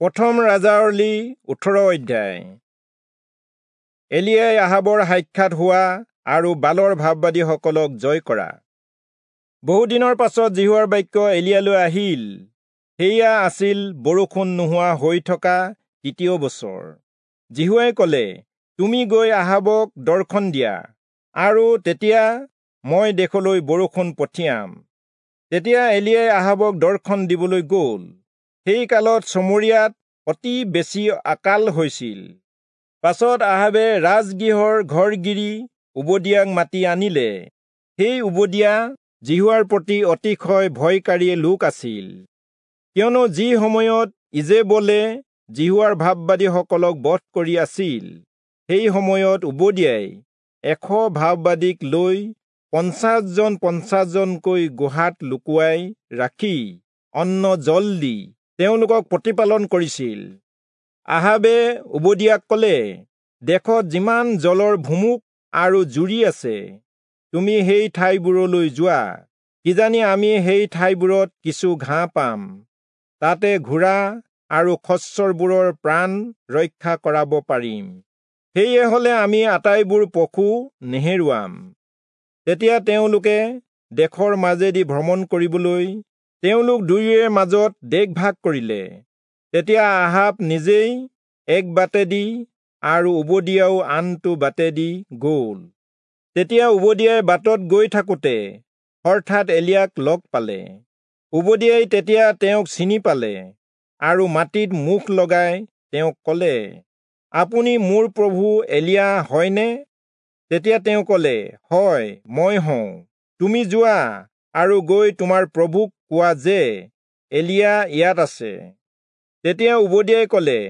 প্ৰথম ৰাজাৱলী 18 অধ্যায়। এলিয়াই আহাবৰ সাক্ষাৎ হোৱা আৰু বালৰ ভাববাদীসকলক জয় কৰা। বহুদিনৰ পাছত যিহোৱাৰ বাক্য এলিয়ালৈ আহিল। সেয়া আছিল বৰষুণ নোহোৱা হৈ থকা তৃতীয় বছৰ। যিহোৱাই ক'লে, তুমি গৈ আহাবক দৰ্শন দিয়া, আৰু তেতিয়া মই দেশলৈ বৰষুণ পঠিয়াম। তেতিয়া এলিয়াই আহাবক দৰ্শন দিবলৈ গ'ল। সেই কালত চমৰীয়াত অতি বেছি আকাল হৈছিল। পাছত আহাবে ৰাজগৃহৰ ঘৰগিৰি উবদিয়াক মাতি আনিলে। সেই উবদিয়া যিহোৱাৰ প্ৰতি অতিশয় ভয়কাৰী লোক আছিল, কিয়নো যি সময়ত ইজেবলে যিহোৱাৰ ভাববাদীসকলক বধ কৰি আছিল, সেই সময়ত উবদিয়াই 100 ভাববাদীক লৈ 50 জন 50 জনকৈ গুহাত লুকুৱাই ৰাখি অন্ন জল দি তেওঁলোকক প্ৰতিপালন কৰিছিল। আহাবে উবদিয়াক ক'লে, দেশত যিমান জলৰ ভুমুক আৰু জুৰি আছে, তুমি সেই ঠাইবোৰলৈ যোৱা, কিজানি আমি সেই ঠাইবোৰত কিছু ঘাঁহ পাম, তাতে ঘোঁৰা আৰু খচ্চৰবোৰৰ প্ৰাণ ৰক্ষা কৰাব পাৰিম। সেয়ে হলে আমি আটাইবোৰ পশু নেহেৰুৱাম। তেতিয়া তেওঁলোকে দেশৰ মাজেদি ভ্ৰমণ কৰিবলৈ তেওঁলোক দুয়োৰে মাজত দেশ ভাগ কৰিলে। তেতিয়া আহাব নিজেই এক বাটেদি আৰু উবদিয়াও আনটো বাটেদি গ'ল। তেতিয়া উবদিয়াই বাটত গৈ থাকোঁতে হঠাৎ এলিয়াক লগ পালে। উবদিয়াই তেতিয়া তেওঁক চিনি পালে আৰু মাটিত মুখ লগাই তেওঁক ক'লে, আপুনি মোৰ প্ৰভু এলিয়া হয়নে? তেতিয়া তেওঁ ক'লে, হয়, মই হওঁ। তুমি যোৱা আৰু গৈ তোমাৰ প্ৰভুক কোৱা যে এলিয়া ইয়াত আছে। তেতিয়া উবদিয়াই ক'লে,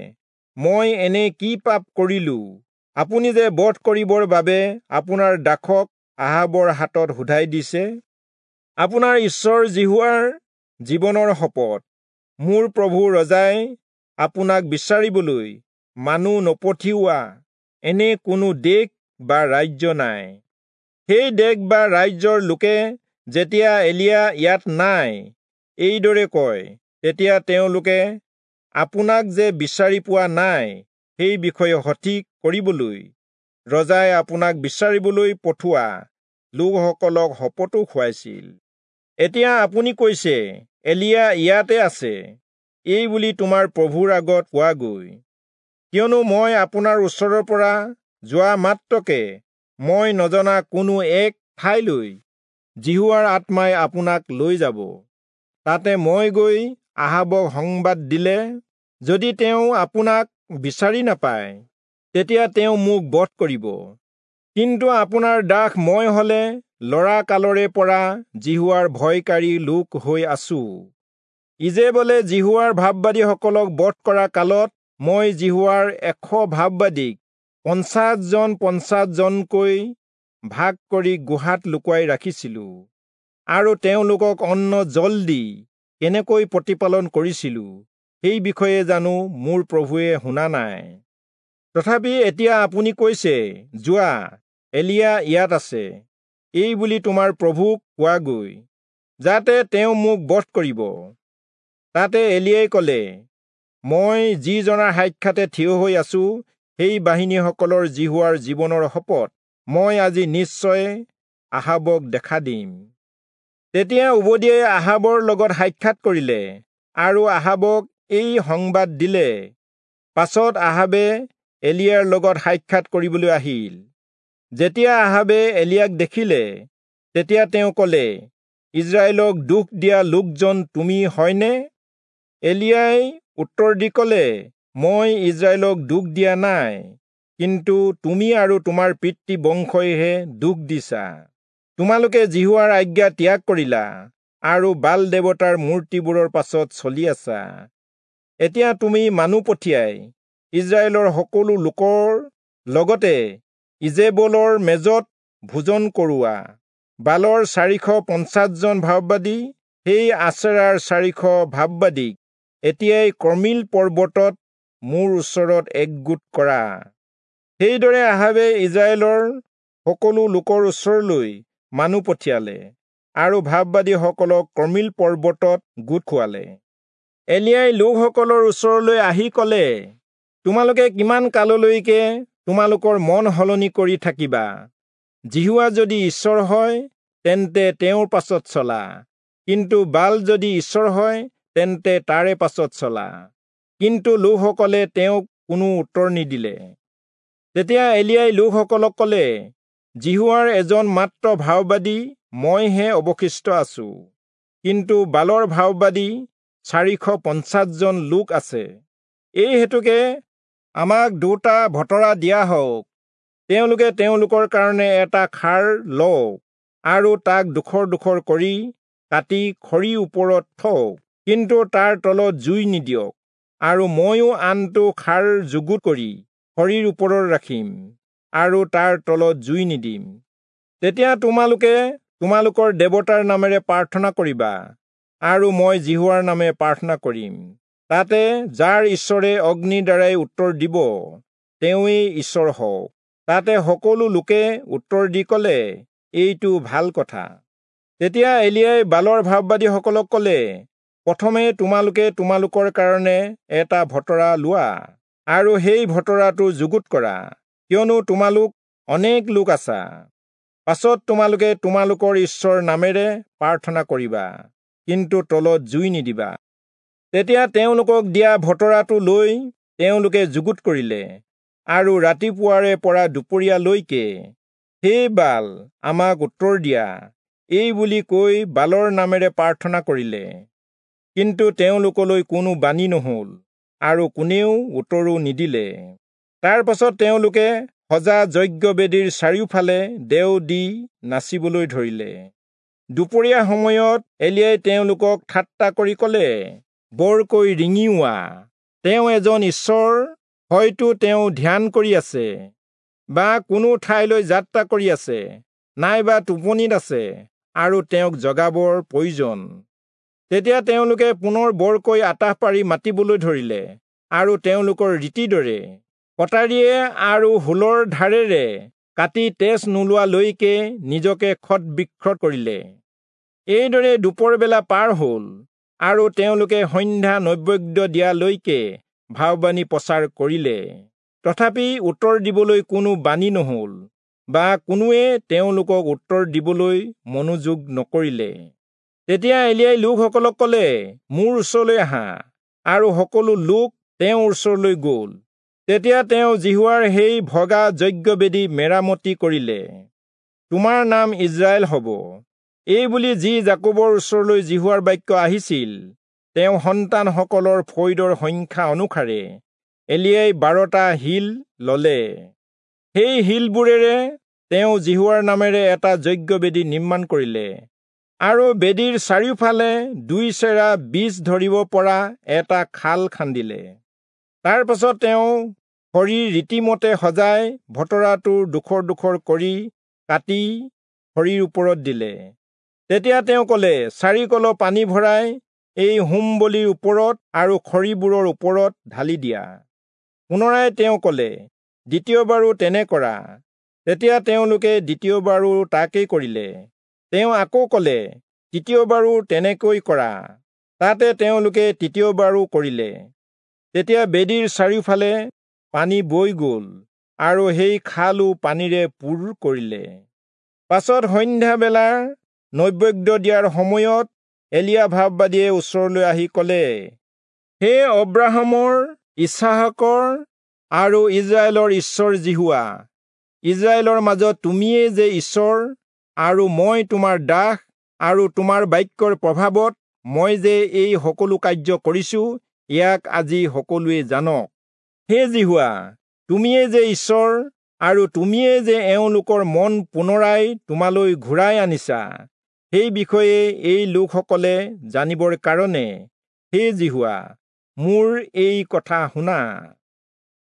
মই এনে কি পাপ কৰিলো, আপুনি যে বধ কৰিবৰ বাবে আপোনাৰ দাসক আহাবৰ হাতত শোধাই দিছে? আপোনাৰ ঈশ্বৰ যিহোৱাৰ জীৱনৰ শপত, মোৰ প্ৰভু ৰজাই আপোনাক বিচাৰিবলৈ মানুহ নপঠিওৱা এনে কোনো দেশ বা ৰাজ্য নাই। সেই দেশ বা ৰাজ্যৰ লোকে যেতিয়া এলিয়া ইয়াত নাই এইদৰে কয়, তেতিয়া তেওঁলোকে আপোনাক যে বিচাৰি পোৱা নাই সেই বিষয়ে সঠিক কৰিবলৈ ৰজাই আপোনাক বিচাৰিবলৈ পঠোৱা লোকসকলক শপতো খুৱাইছিল। এতিয়া আপুনি কৈছে, এলিয়া ইয়াতে আছে, এই বুলি তোমাৰ প্ৰভুৰ আগত কোৱাগৈ। কিয়নো মই আপোনাৰ ওচৰৰ পৰা যোৱা মাত্ৰকে মই নজনা কোনো এক ঠাইলৈ যিহোৱাৰ আত্মাই আপোনাক লৈ যাব। তাতে মই গৈ আহাবক সংবাদ দিলে, যদি তেওঁ আপোনাক বিচাৰি নাপায়, তেতিয়া তেওঁ মোক বধ কৰিব। কিন্তু আপোনাৰ দাস মই হলে ল'ৰা কালৰে পৰা যিহোৱাৰ ভয়কাৰী লোক হৈ আছো। ইজেবলে যিহোৱাৰ ভাববাদীসকলক বধ কৰা কালত মই যিহোৱাৰ 100 ভাববাদীক 50 জন 50 জনকৈ ভাগ কৰি গুহাত লুকুৱাই ৰাখিছিলো, আৰু তেওঁলোকক অন্ন জল দি কেনেকৈ প্ৰতিপালন কৰিছিলো সেই বিষয়ে জানো মোৰ প্ৰভুৱে শুনা নাই। তথাপি এতিয়া আপুনি কৈছে, যোৱা, এলিয়া ইয়াত আছে, এই বুলি তোমাৰ প্ৰভুক কোৱাগৈ, যাতে তেওঁ মোক বধ কৰিব। তাতে এলিয়াই ক'লে, মই যিজনাৰ সাক্ষাতে থিয় হৈ আছো, সেই বাহিনীসকলৰ যিহোৱাৰ জীৱনৰ শপত, মই আজি নিশ্চয় আহাবক দেখা দিম। তেতিয়া উবদিয়াই আহাবৰ লগত সাক্ষাৎ কৰিলে আৰু আহাবক এই সংবাদ দিলে। পাছত আহাবে এলিয়াৰ লগত সাক্ষাৎ কৰিবলৈ আহিল। যেতিয়া আহাবে এলিয়াক দেখিলে, তেতিয়া তেওঁ ক'লে, ইজৰাইলক দুখ দিয়া লোকজন তুমি হয়নে? এলিয়াই উত্তৰ দি ক'লে, মই ইজৰাইলক দুখ দিয়া নাই, কিন্তু তুমি আৰু তোমাৰ পিতৃ বংশইহে দুখ দিছা। তোমালোকে যিহোৱাৰ আজ্ঞা ত্যাগ কৰিলা আৰু বাল দেৱতাৰ মূৰ্তিবোৰৰ পাছত চলি আছা। এতিয়া তুমি মানুহ পঠিয়াই ইজৰাইলৰ সকলো লোকৰ লগতে ইজেবলৰ মেজত ভোজন কৰোৱা। বালৰ 450 জন ভাববাদী, সেই আচেৰাৰ 400 ভাববাদীক এতিয়াই কৰ্মিল পৰ্বতত মোৰ ওচৰত একগোট কৰা। সেইদৰে আহাবে ইজৰাইলৰ সকলো লোকৰ ওচৰলৈ মানুহ পঠিয়ালে আৰু ভাববাদীসকলক কৰ্মিল পৰ্বতত গোট খুৱালে। এলিয়াই লোকসকলৰ ওচৰলৈ আহি ক'লে, তোমালোকে কিমান কাললৈকে তোমালোকৰ মন সলনি কৰি থাকিবা? যিহোৱা যদি ঈশ্বৰ হয়, তেন্তে তেওঁৰ পাছত চলা, কিন্তু বাল যদি ঈশ্বৰ হয়, তেন্তে তাৰে পাছত চলা। কিন্তু লোকসকলে তেওঁক কোনো উত্তৰ নিদিলে। তেতিয়া এলিয়াই লোকসকলক ক'লে, যিহোৱাৰ এজন মাত্ৰ ভাববাদী মইহে অৱশিষ্ট আছো, কিন্তু বালৰ ভাববাদী 450 জন লোক আছে। এই হেতুকে আমাক দুটা ভতৰা দিয়া হওক। তেওঁলোকে তেওঁলোকৰ কাৰণে এটা খাৰ লওক আৰু তাক ডোখৰ ডোখৰ কৰি কাটি খৰি ওপৰত থওক, কিন্তু তাৰ তলত জুই নিদিয়ক। আৰু ময়ো আনটো খাৰ যুগুত কৰি খৰিৰ ওপৰত ৰাখিম আৰু তাৰ তলত জুই নিদিম। তেতিয়া তোমালোকে তোমালোকৰ দেৱতাৰ নামেৰে প্ৰাৰ্থনা কৰিবা, আৰু মই যিহোৱাৰ নামে প্ৰাৰ্থনা কৰিম। তাতে যাৰ ঈশ্বৰে অগ্নিৰ দ্বাৰাই উত্তৰ দিব, তেওঁৱেই ঈশ্বৰ হওক। তাতে সকলো লোকে উত্তৰ দি ক'লে, এইটো ভাল কথা। তেতিয়া এলিয়াই বালৰ ভাববাদীসকলক ক'লে, প্ৰথমে তোমালোকে তোমালোকৰ কাৰণে এটা ভতৰা লোৱা আৰু সেই ভতৰাটো যুগুত কৰা, কিয়নো তোমালোক অনেক লোক আছা। পাছত তোমালোকে তোমালোকৰ ঈশ্বৰ নামেৰে প্ৰাৰ্থনা কৰিবা, কিন্তু তলত জুই নিদিবা। তেতিয়া তেওঁলোকক দিয়া ভতৰাটো লৈ তেওঁলোকে যুগুত কৰিলে, আৰু ৰাতিপুৱাৰে পৰা দুপৰীয়ালৈকে, হে বাল, আমাক উত্তৰ দিয়া, এই বুলি কৈ বালৰ নামেৰে প্ৰাৰ্থনা কৰিলে। কিন্তু তেওঁলোকলৈ কোনো বাণী নহল আৰু কোনেও উত্তৰো নিদিলে। তাৰ পাছত তেওঁলোকে সজা যজ্ঞবেদীৰ চাৰিওফালে দেও দি নাচিবলৈ ধৰিলে। দুপৰীয়া সময়ত এলিয়াই তেওঁলোকক ঠাট্টা কৰি ক'লে, বৰকৈ ৰিঙিওৱা, তেওঁ এজন ঈশ্বৰ, হয়তো তেওঁ ধ্যান কৰি আছে, বা কোনো ঠাইলৈ যাত্ৰা কৰি আছে, নাইবা টোপনিত আছে, আৰু তেওঁক জগাবৰ প্ৰয়োজন। তেতিয়া তেওঁলোকে পুনৰ বৰকৈ আতাহ পাৰি মাতিবলৈ ধৰিলে, আৰু তেওঁলোকৰ ৰীতিৰ দৰে কটাৰীয়ে আৰু হুলৰ ধাৰেৰে কাটি তেজ নোলোৱালৈকে নিজকে ক্ষত বিক্ষত কৰিলে। এইদৰে দুপৰবেলা পাৰ হ'ল, আৰু তেওঁলোকে সন্ধ্যা নৈবেদ্য দিয়ালৈকে ভাববাণী প্ৰচাৰ কৰিলে। তথাপি উত্তৰ দিবলৈ কোনো বাণী নহল, বা কোনোৱে তেওঁলোকক উত্তৰ দিবলৈ মনোযোগ নকৰিলে। তেতিয়া এলিয়াই লোকসকলক ক'লে, মোৰ ওচৰলৈ আহা, আৰু সকলো লোক তেওঁৰ ওচৰলৈ গ'ল। তেতিয়া তেওঁ যিহোৱাৰ সেই ভগা যজ্ঞবেদী মেৰামতি কৰিলে। তোমাৰ নাম ইজৰাইল হ'ব, এই বুলি যি যাকোবৰ ওচৰলৈ যিহোৱাৰ বাক্য আহিছিল, তেওঁ সন্তানসকলৰ ফৈদৰ সংখ্যা অনুসাৰে এলিয়াই 12টা শিল ললে। সেই শিলবোৰেৰে তেওঁ যিহোৱাৰ নামেৰে এটা যজ্ঞবেদী নিৰ্মাণ কৰিলে, আৰু বেদীৰ চাৰিওফালে 2 চেৰা বীজ ধৰিব পৰা এটা খাল খান্দিলে। তাৰ পাছত তেওঁ খৰি ৰীতিমতে সজাই ভতৰাটো ডোখৰ ডোখৰ কৰি কাটি খৰিৰ ওপৰত দিলে। তেতিয়া তেওঁ ক'লে, 4 কলহ পানী ভৰাই এই হোম বলিৰ ওপৰত আৰু খৰিবোৰৰ ওপৰত ঢালি দিয়া। পুনৰাই তেওঁ ক'লে, দ্বিতীয়বাৰো তেনে কৰা। তেতিয়া তেওঁলোকে দ্বিতীয়বাৰো তাকেই কৰিলে। তেওঁ আকৌ ক'লে, তৃতীয়বাৰো তেনেকৈ কৰা। তাতে তেওঁলোকে তৃতীয়বাৰো কৰিলে। তেতিয়া বেদীৰ চাৰিওফালে পানী বৈ গ'ল, আৰু সেই খালো পানীৰে পূৰ কৰিলে। পাছত সন্ধ্যাবেলাৰ নৈবেদ্য দিয়াৰ সময়ত এলিয়া ভাববাদীয়ে ওচৰলৈ আহি ক'লে, হে অব্ৰাহামৰ, ইচহাকৰ আৰু ইজৰাইলৰ ঈশ্বৰ যিহোৱা, ইজৰাইলৰ মাজত তুমিয়েই যে ঈশ্বৰ, আৰু মই তোমাৰ দাস, আৰু তোমাৰ বাক্যৰ প্ৰভাৱত মই যে এই সকলো কাৰ্য কৰিছো, ইয়াক আজি সকলোৱে জানক। হে যিহোৱা, তুমিয়েই যে ঈশ্বৰ, আৰু তুমিয়েই যে এওঁলোকৰ মন পুনৰাই তোমালৈ ঘূৰাই আনিছা, সেই বিষয়ে এই লোকসকলে জানিবৰ কাৰণে হে যিহোৱা, মোৰ এই কথা শুনা।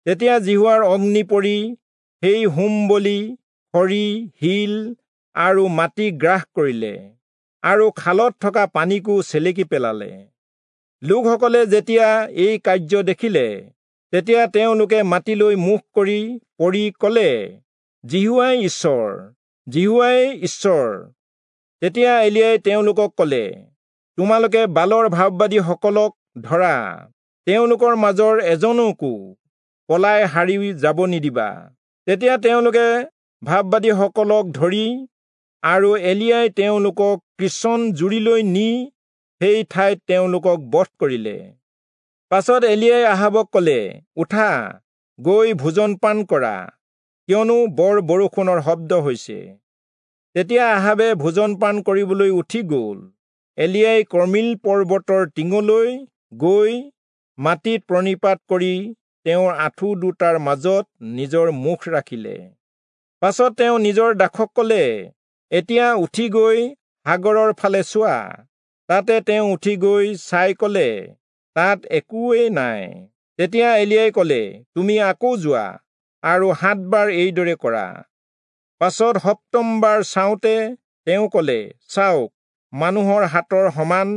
তেতিয়া যিহোৱাৰ অগ্নি পৰি সেই হোম বলি, খৰি, শিল আৰু মাটি গ্ৰাস কৰিলে, আৰু খালত থকা পানীকো চেলেকি পেলালে। লোকসকলে যেতিয়া এই কাৰ্য দেখিলে, তেতিয়া তেওঁলোকে মাটিলৈ মুখ কৰি পৰি ক'লে, যিহোৱাই ঈশ্বৰ, যিহোৱাই ঈশ্বৰ। তেতিয়া এলিয়াই তেওঁলোকক ক'লে, তোমালোকে বালৰ ভাববাদীসকলক ধৰা, তেওঁলোকৰ মাজৰ এজনকো পলাই সাৰি যাব নিদিবা। তেতিয়া তেওঁলোকে ভাববাদীসকলক ধৰি আৰু এলিয়াই তেওঁলোকক কিচোন জুৰিলৈ নি সেই ঠাইত তেওঁলোকক বধ কৰিলে। পাছত এলিয়াই আহাবক কলে, উঠা, গৈ ভোজন পান কৰা, কিয়নো বৰ বৰষুণৰ শব্দ হৈছে। তেতিয়া আহাবে ভোজন পান কৰিবলৈ উঠি গ'ল। এলিয়াই কৰ্মিল পৰ্বতৰ টিঙলৈ গৈ মাটিত প্ৰণিপাত কৰি তেওঁৰ আঁঠু দুটাৰ মাজত নিজৰ মুখ ৰাখিলে। পাছত তেওঁ নিজৰ দাসক কলে, এতিয়া উঠি গৈ সাগৰৰ ফালে চোৱা। তাতে তেওঁ উঠি গৈ চাই কলে, তাত একোৱেই নাই। তেতিয়া এলিয়াই কলে, তুমি আকৌ যোৱা আৰু 7 বাৰ এইদৰে কৰা। পাছত সপ্তমবাৰ চাওঁতে তেওঁ কলে, চাওক, মানুহৰ হাতৰ সমান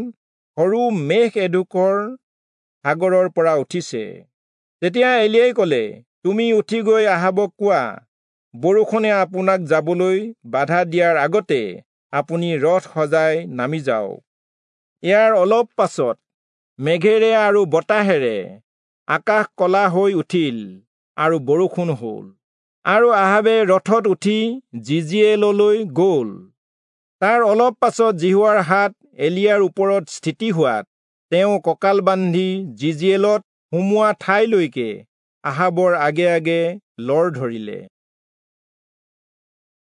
সৰু মেঘ এডোখৰ সাগৰৰ পৰা উঠিছে। তেতিয়া এলিয়াই কলে, তুমি উঠি গৈ আহাবক কোৱা, বৰষুণে আপোনাক যাবলৈ বাধা দিয়াৰ আগতে আপুনি ৰথ সজাই নামি যাওক। ইয়াৰ অলপ পাছত মেঘেৰে আৰু বতাহেৰে আকাশ কলা হৈ উঠিল আৰু বৰষুণ হ'ল, আৰু আহাবে ৰথত উঠি যিজিয়েললৈ গ'ল। তাৰ অলপ পাছত যিহোৱাৰ হাত এলিয়াৰ ওপৰত স্থিতি হোৱাত তেওঁ কঁকাল বান্ধি যিজিয়েলত সোমোৱা ঠাইলৈকে আহাবৰ আগে আগে লৰ ধৰিলে।